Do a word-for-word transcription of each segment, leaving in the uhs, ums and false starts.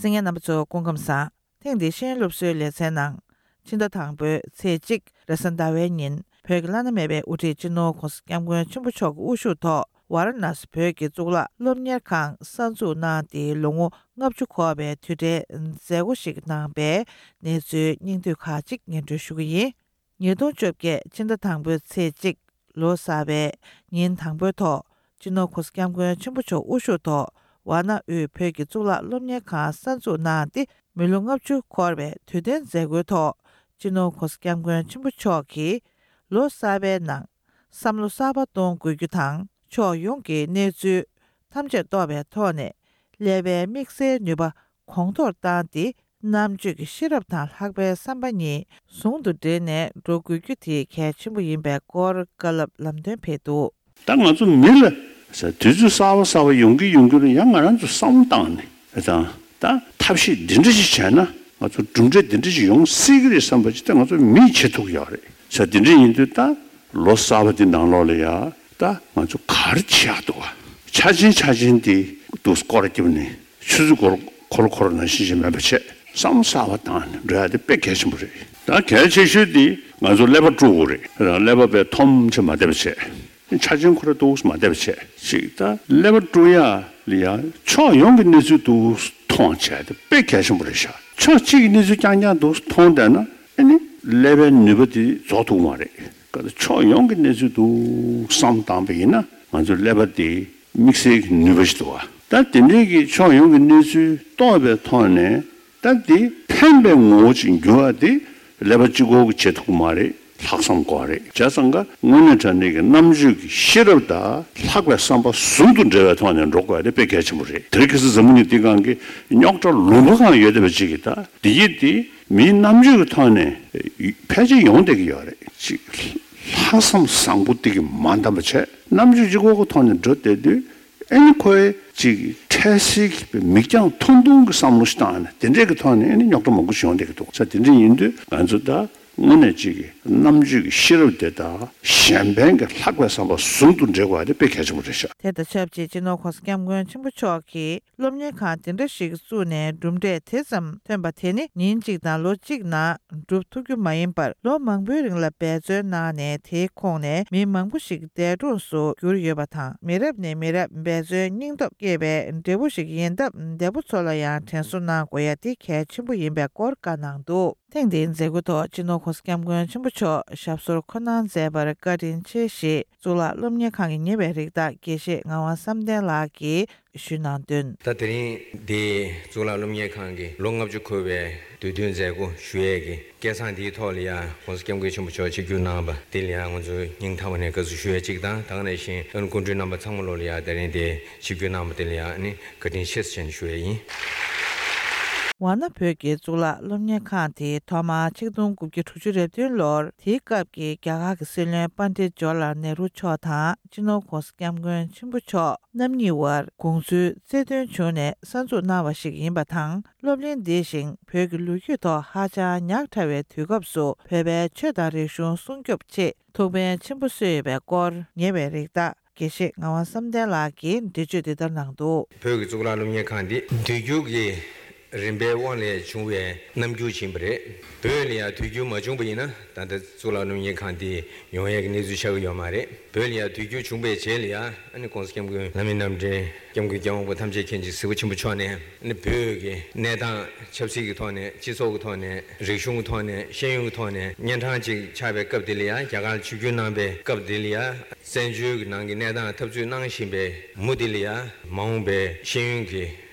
གསན་མཁན་རྣམ་པ་ཚོ་སྐུ་ཁམས་བཟང་། ཐེངས་འདིའི་ཤེས་ཡོན་སློབ་གསོའི་ལེ་ཚན་ནང་། ཕྱི་ཟླ་དང་པོའི་ཚེས་གཅིག་རེས་གཟའ་ཟླ་བའི་ཉིན་བོད་ཀྱི་བླ་ན་མེད་པའི་དབུ་ཁྲིད་སྤྱི་ནོར་༧གོང་ས་༧སྐྱབས་མགོན་ཆེན་པོ་མཆོག་གི་དབུ་བཞུགས་ཐོག་ཝཱ་ར་ཎ་སི་བོད་ཀྱི་གཙུག་ལག་སློབ་གཉེར་ཁང་གསར་འཛུགས་གནང་སྟེ་ལོ་ངོ་ལྔ་བཅུ་འཁོར་བའི་དུས་དྲན་མཛད་སྒོ་ཞིག་གནང་པའི་གནས་ཚུལ་སྙིང་བསྡུས་ཁག་ཅིག་སྙན་སྒྲོན་ཞུ་གི་ཡིན། ཉིས་སྟོང་བཅོ་བརྒྱད་ཕྱི་ཟླ་དང་པོའི་ཚེས་གཅིག་ལོ་གསར་པའི་ཉིན་དང་པོའི་ཐོག་སྤྱི་ནོར་༧གོང་ས་༧སྐྱབས་མགོན་ཆེན་པོ་མཆོག་དབུ་བཞུགས་ཐོག་ཝཱ་ཎ་དབུས་བོད་ཀྱི་གཙུག་ལག་སློབ་གཉེར་ཁང་གསར་འཛུགས་གནང་སྟེ་མི་ལོ་ལྔ་བཅུ་འཁོར་བའི་དུས་དྲན་མཛད་སྒོའི་ཐོག་སྤྱི་ནོར་༧གོང་ས་༧སྐྱབས་མགོན་ཆེན་པོ་མཆོག་གིས་ལོ་གསར་པའི་ནང་བསམ་བློ་གསར་པ་གཏོང་དགོས་རྒྱུ་དང་ཕྱོགས་ཡོངས་ཀྱི་གནས་ཚུལ་ཐམས་ཅད་རྟོགས་པའི་ཐོག་ནས་ཀླད་པའི་དམིགས་བསལ་ནུས་པ་གོང་མཐོར་བཏང་སྟེ། རྣམ་དཔྱོད་ཀྱི་ཤེས་རབ་དང་ལྷག་པའི་བསམ་པ་གཉིས་ཟུང་དུ་འབྲེལ་ནས་འགྲོ་དགོས་རྒྱུ་དེ་གལ་ཆེན་པོ་ཡིན་པའི་སྐོར་བཀའ་སློབ་ལམ་སྟོན་ཕེབས་འདུག་ད་ང་ཚོ་མི་ལ་དུས་ཚོད་གསར་པ་གསར་པ་ཡོང་གི་ཡོང་གི་རེད། ཡང་ང་རང་ཚོ་བསམ་བློ་བཏང་ནས་དང་ད་ཐབས་ཤེས་འདི་འདྲ་ཞིག་བྱས་ན་ང་ཚོ་གྲུབ་འབྲས་འདི་འདྲ་ཞིག་ཡོང་སྲིད་ཀྱི་རེད་བསམ་པ་ཅིག་ད་ང་ཚོ་མིས་བྱེད་ཐུབ་ཀྱི་ཡོད་རེད། ས་འདི་འདྲ་ཡིན་དུས་ད་ལོ་གསར་པ་འདི་ནང་ལོགས་ལ་ཡ་ད་ང་ཚོ་ག་རེ་བྱེད་ཡག་འདུག་བ། ཆ་ཆེན་ཆ་ཆེན་འདི་འདུག་སྐོར་ར་བརྒྱབ་ནས། ཆུ་ཚོད་འཁོར་འཁོར་འཁོར་ནང་བཞིན་ཞིག་མེད་པ་བྱས། བསམ་བློ་གསར་པ་བཏང་ནས་འགྲོ་ཡ་དེ་དཔེ་གལ་ཆེན་པོ་རེད། ད་གལ་ཆེ་ཤོས་དེ་ང་ཚོ་ཀླད་པ་དཀྲུག་དགོས་རེད། ཀླད་པ་དཔེ་འཐོམ་ཆེ་མ་བསྡད་པ་བྱས། ཆ་ཆེན་ཁོ་ར་འདུག་མ་བསྡད་པ་བྱས་ཅིག་ད་ཀླད་པ་དཀྲུག་ཡ་ལ་ཡ་ཕྱོགས་ཡོངས་ཀྱི་གནས་ཚུལ་འདུག་མཐོང་བྱས་དེ་དཔེ་གལ་ཆེན་པོ་རེད་ཤག་ཕྱོགས་གཅིག་གི་གནས་ཚུལ་རྐྱང་རྐྱང་འདུག་མཐོང་བསྡད་ན་ཨ་ནི་ཀླད་པའི་ནུས་པ་དེ་རྫོགས་ཐུབ་མ་རེད། ཕྱོགས་ཡོངས་ཀྱི་གནས་ཚུལ་འདུག་བསམ་བཏང་པ་ཡིན་ན་ང་ཚོའི་ཀླད་པ་དེ། དམིགས་བསལ་གྱི་ནུས་པ་ཞིག་འདུག་བ། ད་དེ་འདྲའི་གི་ཕྱོགས་ཡོངས་ཀྱི་གནས་ཚུལ་རྟོགས་པའི་ཐོག་ནས་ད་དེ་ཕན་པའི་ངོ་བོ་ཅིག་འགྱུར་བ་དེ་ཀླད་པ་གཅིག་པོ་གིས་བྱེད་ཐུབ་ཀྱི་མ་རེད། ལྷག་བསམ་དགོས་རེད། བྱས་ཙང་ཀ་དངོས་གནས་དྲང་གནས་ཀྱི་རྣམ་དཔྱོད་ཀྱི་ཤེས་རབ་དང་ལྷག་པའི་བསམ་པ་ཟུང་དུ་འབྲེལ་བའི་ཐོག་ནས་འགྲོ་དགོས་ཡ་དེ་དཔེ་གལ་ཆེན་པོ་རེད། དེ་རིང་ཁ་སང་འཛམ་བུ་གླིང་འདིའི་སྒང་གི་རྙོག་དྲ་ལུང་པ་གང་ཡོད་བསྡད་པ་ཅིག་གིས་ད་འདི་ཡིད་དེ། མིའི་རྣམ་དཔྱོད་ཀྱི་ཐོག་ནས་ཕལ་ཆེར་ཡོང་བསྡད་ཀྱི་ཡོད་རེད། ཅིག་ལྷག་བསམ་བཟང་པོ་དེ་གིས་མ་འདང་བ་བྱས། རྣམ་དཔྱོད་གཅིག་པོ་གི་ཐོག་ནས་འགྲོ་བསྡད་དུས་ཨ་ནི་ཁོའི་ཅིག་འཕྲལ་སེལ་གྱི་མིག་རྒྱང་ཐུང་ཐུང་གི་བསམ་བློ་ཞིག་བཏང་ནས་དེ་འདྲས་ཀྱི་ཐོག་ནས་ཨ་ནི་རྙོག་དྲ་མང་པོ་ཞིག་ཡོང་བསྡད་ཀྱི་འདུག་ས་དེ་འདྲས་ཡིན་དུས་ང་ཚོ་ད་དངོས་གནས་ཅིག་གི་རྣམ་དཔྱོད་ཀྱི་ཤེས་རབ་དེ་དང་གཞན་ཕན་གྱི་ལྷག་པའི་བསམ་པ་ཟུང་དུ་འབྲེལ་དགོས་པ་དེ་དཔེ་གལ་ཆེན་པོ་རེད་ཤག་དེ་དང་ཆབས་ཅིག་སྤྱི་ནོར་༧གོང་ས་༧སྐྱབས་མགོན་ཆེན་པོ་མཆོག་གིས། སློབ་གཉེར་ཁང་དེ་འདྲ་ཞིག་བཙུགས་ནས་གྲུབ་འབྲས་དེ་ཙམ་ཐོན་པ་དེ་ནི་ཉིན་གཅིག་དང་ལོ་གཅིག་ནང་འགྲུབ་ཐུབ་རྒྱུ་མ་ཡིན་པར་ལོ་མང་པོའི་རིང་ལ་འབད་བརྩོན་གནང་ནས་དེའི་ཁོངས་ནས་མི་མང་པོ་ཞིག་འདས་གྲོངས་སུ་གྱུར་ཡོད་པ་དང་། མི་རབས་ནས་མི་རབས་འབད་བརྩོན་སྙིང་སྟོབས་བསྐྱེད་པའི་འབྲས་བུ་ཞིག་ཡིན་སྟབས་འདས་པོ་ཚོ་ལ་ཡང་དྲན་གསོ་གནང་དགོས་ཡ་དེ་གལ་ཆེན་པོ་ཡིན་པའི་སྐོར་བཀའ་གནང་འདུག་ཐེངས་འདིའི་མཛད་སྒོའི་ཐོག་སྤྱི་ནོར་༧གོང་ས་༧སྐྱབས་མགོན་ཆེན་པོ་མཆོག་ཞབས་སོར་འཁོད་གནང་མཛད་པར་བཀའ་དྲིན་ཆེ་ཞེས་གཙུག་ལག་སློབ་གཉེར་ཁང་གི་ཉེ་བའི་རིགས་བདག་དགེ་བཤེས་ངག་དབང་བསམ་གཏན་ལགས་ཀྱིས། ཞུས་གནང་དོན། ད་དེ་རིང་འདི་གཙུག་ལག་སློབ་གཉེར་ཁང་གི་ལོ་ལྔ་བཅུ་འཁོར་བའི་དུས་སྟོན་མཛད་སྒོ་ཞུ་ཡས་ཀྱི་སྐལ་བཟང་འདིའི་ཐོག་ལ་ཡང་༧གོང་ས་༧སྐྱབས་མགོན་ཆེན་པོ་མཆོག་ཆིབས་བསྒྱུར་གནང་བ་འདི་ལ་ཡང་ང་ཚོ་སྙིང་ཐག་པ་ནས་དགའ་བསུ་ཞུ་ཡས་གཅིག་དང་། ད་ག་ནང་བཞིན་ཨ་ནི་སྐུ་མགྲོན་རྣམ་པ་ཚང་མ་ལོ་ལ་ཡང་དེ་རིང་འདི་ཆིབས་བསྒྱུར་གནང་བ་འདི་ལ་ཡང་ཨ་ནི་བཀའ་དྲིན་ཆེ་ཟེར་ཞུ་ཡས་ཡིན། ཝཱ་ཎ་བོད་ཀྱི་གཙུག་ལག་སློབ་གཉེར་ཁང་དེ་ཐོག་མར་ཆིག་སྟོང་དགུ་བརྒྱ་དྲུག་ཅུ་རེ་བདུན་ལོར་དེའི་སྐབས་ཀྱི་རྒྱ་གར་གྱི་སྲིད་བློན་པཎྜི་ཏ་ཇོ་ཧར་ལལ་ནེ་རུ་མཆོག་དང་སྤྱི་ནོར་༧གོང་ས་༧སྐྱབས་མགོན་ཆེན་པོ་མཆོག་རྣམ་གཉིས་དབར་དགོངས་ཚུལ་རྩལ་འདོན་བྱུང་ནས་གསར་འཛུགས་གནང་བ་ཞིག་ཡིན་པ་དང་། སློབ་གླིང་འདི་བཞིན་བོད་ཀྱི་ལོ་རྒྱུས་ཐོག་ཧ་ཅང་ཉག་ཕྲ་བའི་དུས་སྐབས་སུ་བོད་པའི་ཆོས་དང་རིག་གཞུང་སྲུང་སྐྱོབ་ཆེད་ཐུགས་ཕན་ཆེན་པོ་གསོས་ཡོད་པའི་སྐོར་ཉེ་བའི་རིགས་བདག་དགེ་བཤེས་ངག་དབང་བསམ་གཏན་ལགས་ཀྱིས་འགྲེལ་བརྗོད་འདི་ལྟར་གནང་འདུག་བོད་ཀྱི་གཙུག་ལག་སློབ་གཉེར་ཁང་འདི་དུས་འགྱུར་གྱི་རིམ་པའི་དབང་ལས་བྱུང་བའི་རྣམ་འགྱུར་ཅིག་ཡིན་པ་རེད། བོད་ལ་ཡང་དུས་འགྱུར་མ་བྱུང་བ་ཡིན་ན་ད་ལྟ་གཙུག་ལག་སློབ་གཉེར་ཁང་འདི་ཡོང་ཡས་ཀྱི་གནས་ཚུལ་ཆགས་ཀྱི་ཡོད་མ་རེད། བོད་ལ་ཡང་དུས་འགྱུར་བྱུང་བའི་རྗེས་ལ་ཡང་ཨ་ནི་༧གོང་ས་༧སྐྱབས་མགོན་བླ་མེད་རྣམ་འདྲེན་༧སྐྱབས་མགོན་༧སྐྱབས་དབང་པོ་ཐམས་ཅད་མཁྱེན་ཅིང་གཟིགས་པ་ཆེན་པོ་མཆོག་ནས་ཨ་ནི་བོད་ཀྱི་གནས་སྟངས་ཆབ་སྲིད་ཀྱི་ཐོག་ནས་སྤྱི་ཚོགས་ཀྱི་ཐོག་ནས་རིག་གཞུང་གི་ཐོག་ནས་ཤེས་ཡོན་གྱི་ཐོག་ནས་གཉན་འཕྲང་ཅིག་ཆགས་པའི་སྐབས་དེ་ལ་ཡང་རྒྱ་གར་ལ་ཆིབས་བསྒྱུར་གནང་པའི་སྐབས་དེ་ལ་ཡང་བཙན་བྱོལ་གྱི་ནང་གི་གནས་སྟངས་འཐབ་རྩོད་གནང་བཞིན་པའི་མུ་མཐུད་ལ་ཡང་མ་འོངས་པའི་ཤེས་ཡོན་གྱི་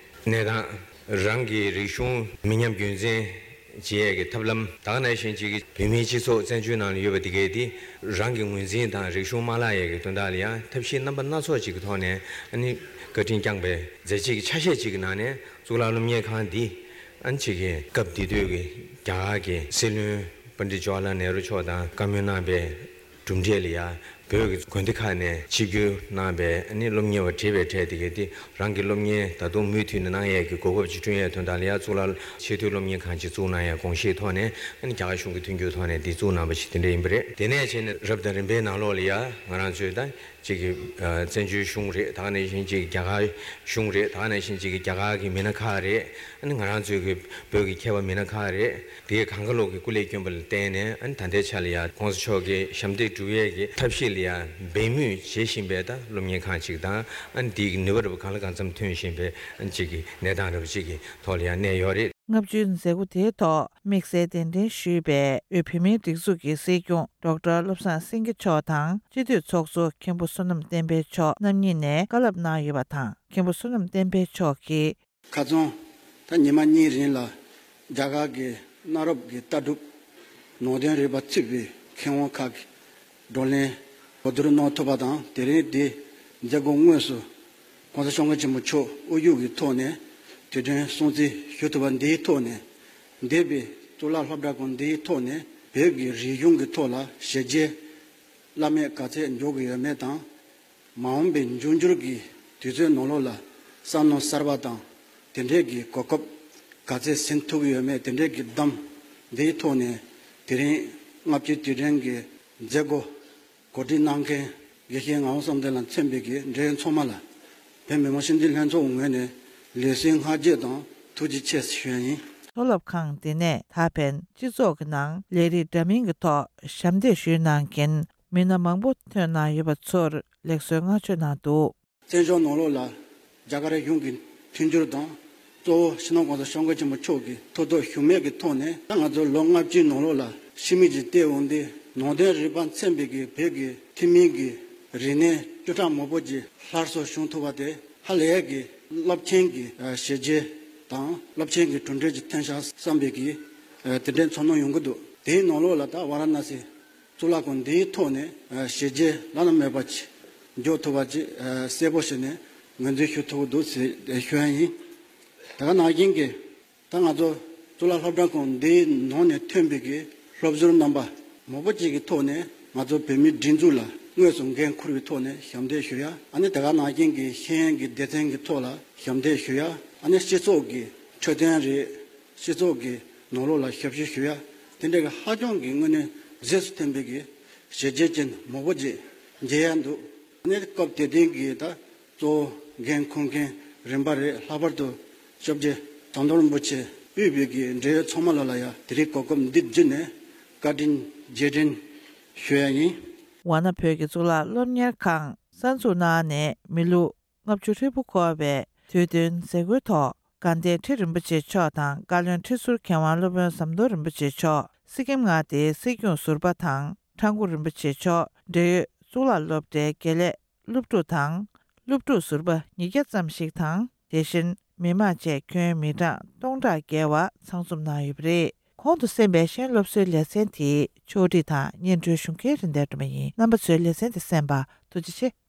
གནས་སྟངས། རང་གི་རིག་གཞུང་མི་ཉམས་རྒྱུན་འཛིན་བྱེད་ཡས་ཀྱི་ཐབས་ལམ། ད་ག་ནང་བཞིན་གཅིག་གི་བོད་མིའི་སྤྱི་ཚོགས་བཙན་བྱོལ་ནང་ལ་ཡོད་པ་དེ་གས་དེ་རང་གི་ངོས་འཛིན་དང་རིག་གཞུང་མ་བརླག་ཡས་ཀྱི་དོན་དག་ལ་ཡང་ཐབས་ཤེས་རྣམ་པ་སྣ་ཚོགས་ཅིག་གི་ཐོག་ནས་ཨ་ནི་བཀའ་དྲིན་བསྐྱངས་པའི་མཛད་རྗེས་ཀྱི་ཆ་ཤས་ཅིག་གི་ནང་ནས་གཙུག་ལག་སློབ་གཉེར་ཁང་འདི་ཨ་ནི་གཅིག་གི་སྐབས་དེ་དུས་ཀྱི་རྒྱ་གར་གྱི་སྲིད་བློན་པཎྜི་ཏ་ཇོ་ཧར་ལལ་ནེ་རུ་མཆོག་དང་བཀའ་མོལ་གནང་པའི་གྲུབ་འབྲས་ལ་ཡང་ བོད་ཀྱི་དགོན་སྡེ་ཁག་ནས་ཆིབས་བསྒྱུར་གནང་བའི་ཨ་ནི་སློབ་གཉེར་བ་བྲེལ་བའི་གྲས་དེ་གས་དེ་རང་གི་སློབ་གཉེར་ད་དུང་མུ་མཐུད་ནས་གནང་ཡས་ཀྱི་གོ་སྐབས་ཅིག་བསྐྲུན་ཡས་དོན་དག་ལ་ཡ་གཙུག་ལག་ཆེས་མཐོའི་སློབ་གཉེར་ཁང་ཅིག་བཙུགས་གནང་ཡས་དགོངས་བཞེས་ཐོག་ནས་ཨ་ནི་རྒྱ་གར་གཞུང་གི་མཐུན་འགྱུར་ཐོག་ནས་འདི་བཙུགས་གནང་པ་ཞིག་དེ་འདྲ་ཡིན་པ་རེད། དེ་ནས་བྱས་ནས་རབ་དང་རིམ་པའི་ནང་ལོགས་ལ་ཡ་ང་རང་ཚོའི་ད་གཅིག་གི་ཨ་བཙན་བྱོལ་གཞུང་རེད། ད་ག་ནང་བཞིན་གཅིག་གི་རྒྱ་གར་གཞུང་རེད། ད་ག་ནང་བཞིན་གཅིག་གི་རྒྱ་གར་གྱི་མི་སྣ་ཁག་རེད། ཨ་ནི་ང་རང་ཚོའི་གི་བོད་ཀྱི་མཁས་པ་མི་སྣ་ཁག་རེད། དེའི་གང་ག་ལོག་གི་སྐུ་ལས་བསྐྱོན་པ་ལ་བརྟེན་ནས་ཨ་ནི་ད་ལྟའི་ཆ་ལ་ཡ་༸གོང་ས་མཆོག་གི་ཞབས་འདེགས་སྒྲུབ་ཡས་ཀྱི་ཐབས་ཤེས་ལ་ཡ་འབད་མུས་བྱེད་བཞིན་པའི་ད་སློབ་གཉེར་ཁང་ཅིག་དང་། ཨ་ནི་དེའི་གི་ནུས་པ་རུ་གང་ལ་གང་འཚམ་ཐོན་བཞིན་པའི་ཨ་ནི་གཅིག་གི་གནས་སྟངས་རུ་གཅིག་གི་ཐོག་ལ་ཡ་གནས་ཡོད་རེད། ལྔ་བཅུའི་མཛད་སྒོ་དེའི་ཐོག་དམིགས་བསལ་གདན་འདྲེན་ཞུས་པའི་དབུས་བོད་མིའི་སྒྲིག་འཛུགས་ཀྱི་སྲིད་སྐྱོང་ཌོག་ཊར་བློ་བཟང་སེང་གེ་མཆོག་དང་སྤྱི་འཐུས་ཚོགས་གཙོ་མཁན་པོ་བསོད་ནམས་བསྟན་འཕེལ་མཆོག་རྣམ་གཉིས་ནས་བཀའ་སློབ་གནང་ཡོད་པ་དང་། མཁན་པོ་བསོད་ནམས་བསྟན་འཕེལ་མཆོག་གིས། ཁ་རྩང་ད་ཉི་མ་གཉིས་རིང་ལ་རྒྱ་གར་གྱི་གནའ་རབས་ཀྱི་ལྟ་གྲུབ་ནང་དོན་རིག་པ་ཚུད་པའི་མཁས་དབང་ཁག་གི་བགྲོ་གླེང་གོ་བསྡུར་གནང་ཐུབ་པ་དང་། དེ་རིང་འདི་མཛད་སྒོ་དངོས་སུ་༸གོང་ས་༸སྐྱབས་མགོན་ཆེན་པོ་མཆོག་དབུ་བཞུགས་ཀྱི་ཐོག་ནས་དུས་དྲན་སྲུང་བརྩི་ཞུ་ཐུབ་པ་འདིའི་ཐོག་ནས། འདས་པའི་གཙུག་ལག་སློབ་གྲྭ་ཁང་འདིའི་ཐོག་ནས་བོད་ཀྱི་རིག་གཞུང་གི་ཐོག་ལ་ཞལ་མཇལ་བླ་མེད་ག་ཚད་འཇོག་གི་ཡོད་མེད་དང་། མ་འོངས་པའི་འབྱུང་འགྱུར་གྱི་དུས་ཚོད་ནང་ལོགས་ལ་བསམ་མནོ་གསར་པ་དང་། དེ་འདྲས་ཀྱི་གོ་སྐབས་ག་ཚད་ཟིན་ཐུབ་ཀྱི་ཡོད་མེད། དེ་འདྲས་ཀྱི་བསྡོམས་འདིའི་ཐོག་ནས་དེ་རིང་ལྔ་བཅུའི་དུས་དྲན་གྱི་མཛད་སྒོ་གོ་སྒྲིག་གནང་མཁན་དགེ་བཤེས་ངག་དབང་བསམ་གཏན་ལ་མཚོན་པའི་གི་འབྲེལ་ཡོད་ཚང་མ་ལ་བོད་མི་མང་སྤྱི་འཐུས་ལྷན་ཚོགས་ངོས་ནས་ལེགས་སོའི་བསྔགས་བརྗོད་དང་ཐུགས་རྗེ་ཆེ་ཞུ་ཡ་ཡིན། མཐོ་སློབ་ཁང་འདི་ནས་ད་ཕན་སྤྱི་ཚོགས་ཀྱི་ནང་ལས་རིགས་འདྲ་མིན་གྱི་ཐོག་ཞབས་འདེགས་ཞུས་གནང་མཁན་མི་སྣ་མང་པོ་ཐོན་གནང་ཡོད་པ་ཚོར་ལེགས་གསོའི་བསྔགས་བརྗོད་གནང་འདུག། བཙན་བྱོལ་ནང་ལོགས་ལ་རྒྱ་གར་གཞུང་གི་མཐུན་འགྱུར་དང་། གཙོ་བོ་སྤྱི་ནོར་༸གོང་ས་༸སྐྱབས་མགོན་ཆེན་པོ་མཆོག་གི་ཐུགས་སྟོབས་ཞུམ་མེད་ཀྱི་ཐོག་ནས། ད་ང་ཚོ་ལོ་ལྔ་བཅུའི་ནང་ལོགས་ལ་ཕྱི་མིག་ཅིག་བལྟས་འོང་དུས། ནང་དོན་རིག་པ་མཚོན་པའི་གི་བོད་ཀྱི་ཐུན་མིན་གྱི་རིག་གནས་བཅུ་ཕྲག་མང་པོ་ཅིག་སླར་གསོ་བྱུང་ཐུབ་པ་དེ་ཧ་ལས་ཀྱི་རླབས་ཆེན་གྱི་ཞལ་མཇལ་དང་རླབས་ཆེན་གྱི་གྲུབ་འབྲས་ཅིག་ཐོན་ཤག་བསམ་པའི་གི་དེ་འདྲའི་ཚོར་སྣང་ཡོང་གི་འདུག། དེའི་ནང་ལོགས་ལ་ད་ཝཱ་ར་ཎ་སི་གཙུག་ལག་ཁང་འདིའི་ཐོག་ནས་ཞལ་མཇལ་བླ་ན་མེད་པ་ཅིག་འཇོག་ཐུབ་པ་ཅིག་གསལ་པོ་བྱས་ནས་ངོས་འཛིན་ཞུ་ཐུབ་ཀྱི་འདུག་ཟེར་ཞུ་ཡ་ཡིན། དེ་ག་ནང་བཞིན་གྱི་ད་ང་ཚོ་གཙུག་ལག་སློབ་གྲྭ་ཁང་འདིའི་ནང་ནས་ཐོན་པའི་གི་སློབ་ཟུར་རྣམ་པ་མང་པོ་ཅིག་གི་ཐོག་ནས་ང་ཚོ་བོད་མིའི་སྒྲིག་འཛུགས་ལ་དངོས་སུ་འགན་འཁུར་བའི་ཐོག་ནས་ཞབས་འདེགས་ཞུ་ཡ། ཨ་ནི་དེ་ག་ནང་བཞིན་གྱི་ཤེས་ཡོན་གྱི་སྡེ་ཚན་གྱི་ཐོག་ལ་ཞབས་འདེགས་ཞུ་ཡ། ཨ་ནི་སྤྱི་ཚོགས་ཀྱི་འཕྲོད་བསྟེན་རེད། སྤྱི་ཚོགས་ཀྱི་ནང་ལོགས་ལ་ཞབས་ཞུ་ཞུ་ཡ། དེ་འདྲ་གི་ཧ་ཅང་གི་དངོས་གནས་གཟེངས་སུ་ཐོན་པའི་གི་ཞལ་མཇལ་ཅན་མང་པོ་ཅིག་མཇལ་ཡ་འདུག། ཨ་ནི་སྐབས་དེ་དུས་ཀྱི་ད་གཙོ་བོ་འགན་འཁུར་མཁན་རིམ་པ་རེད། ལྷག་པར་དུ་སྐྱབས་རྗེ་ཟམ་གདོང་རིན་པོ་ཆེ་དབུས་པའི་གི་འབྲེལ་ཡོད་ཚང་མ་ལ་ལ་ཡ་དེ་རིང་གོ་སྐབས་འདི་བརྒྱུད་ནས་བཀའ་དྲིན་རྗེས་དྲན་ཞུ་ཡ་ཡིན། ཝཱ་ཎ་བོད་ཀྱི་གཙུག་ལག་སློབ་གཉེར་ཁང་གསར་འཛུགས་གནང་ནས་མི་ལོ་ལྔ་བཅུ་ཧྲིལ་པོ་འཁོར་བའི་དུས་སྟོན་མཛད་སྒོའི་ཐོག་དགའ་ལྡན་ཁྲི་རིན་པོ་ཆེ་མཆོག་དང་བཀའ་བློན་ཁྲི་ཟུར་མཁས་དབང་སློབ་དཔོན་ཟམ་གདོང་རིན་པོ་ཆེ་མཆོག། སི་ཀིམ་མངའ་སྡེའི་སྲིད་སྐྱོང་ཟུར་པ་དང་ཁྲ་འགུ་རིན་པོ་ཆེ་མཆོག། འབྲེལ་ཡོད་གཙུག་ལག་སློབ་གྲྭའི་དགེ་ལས་སློབ་ཕྲུག་དང་སློབ་ཕྲུག་ཟུར་པ་ཉིས་བརྒྱ་ཙམ་ཞིག་དང་། དེ་བཞིན་མི་མང་བཅས་ཁྱོན་མི་གྲངས་སྟོང་ཕྲག་བརྒལ་བ་ཚང་འཛོམས་གནང་ཡོད་པ་རེད། གོང་དུ་གསན་པའི་ཤེས་ཡོན་སློབ་གསོའི་ལེ་ཚན་དེའི་ཕྱོགས་སྒྲིག་དང་སྙན་སྒྲོན་ཞུ་མཁན་རིན་ལྡན་སྒྲོལ་མ་ཡིན། རྣམ་པ་ཚོས་ལེ་ཚན་དེ་གསན་པར་ཐུགས་རྗེ་ཆེ།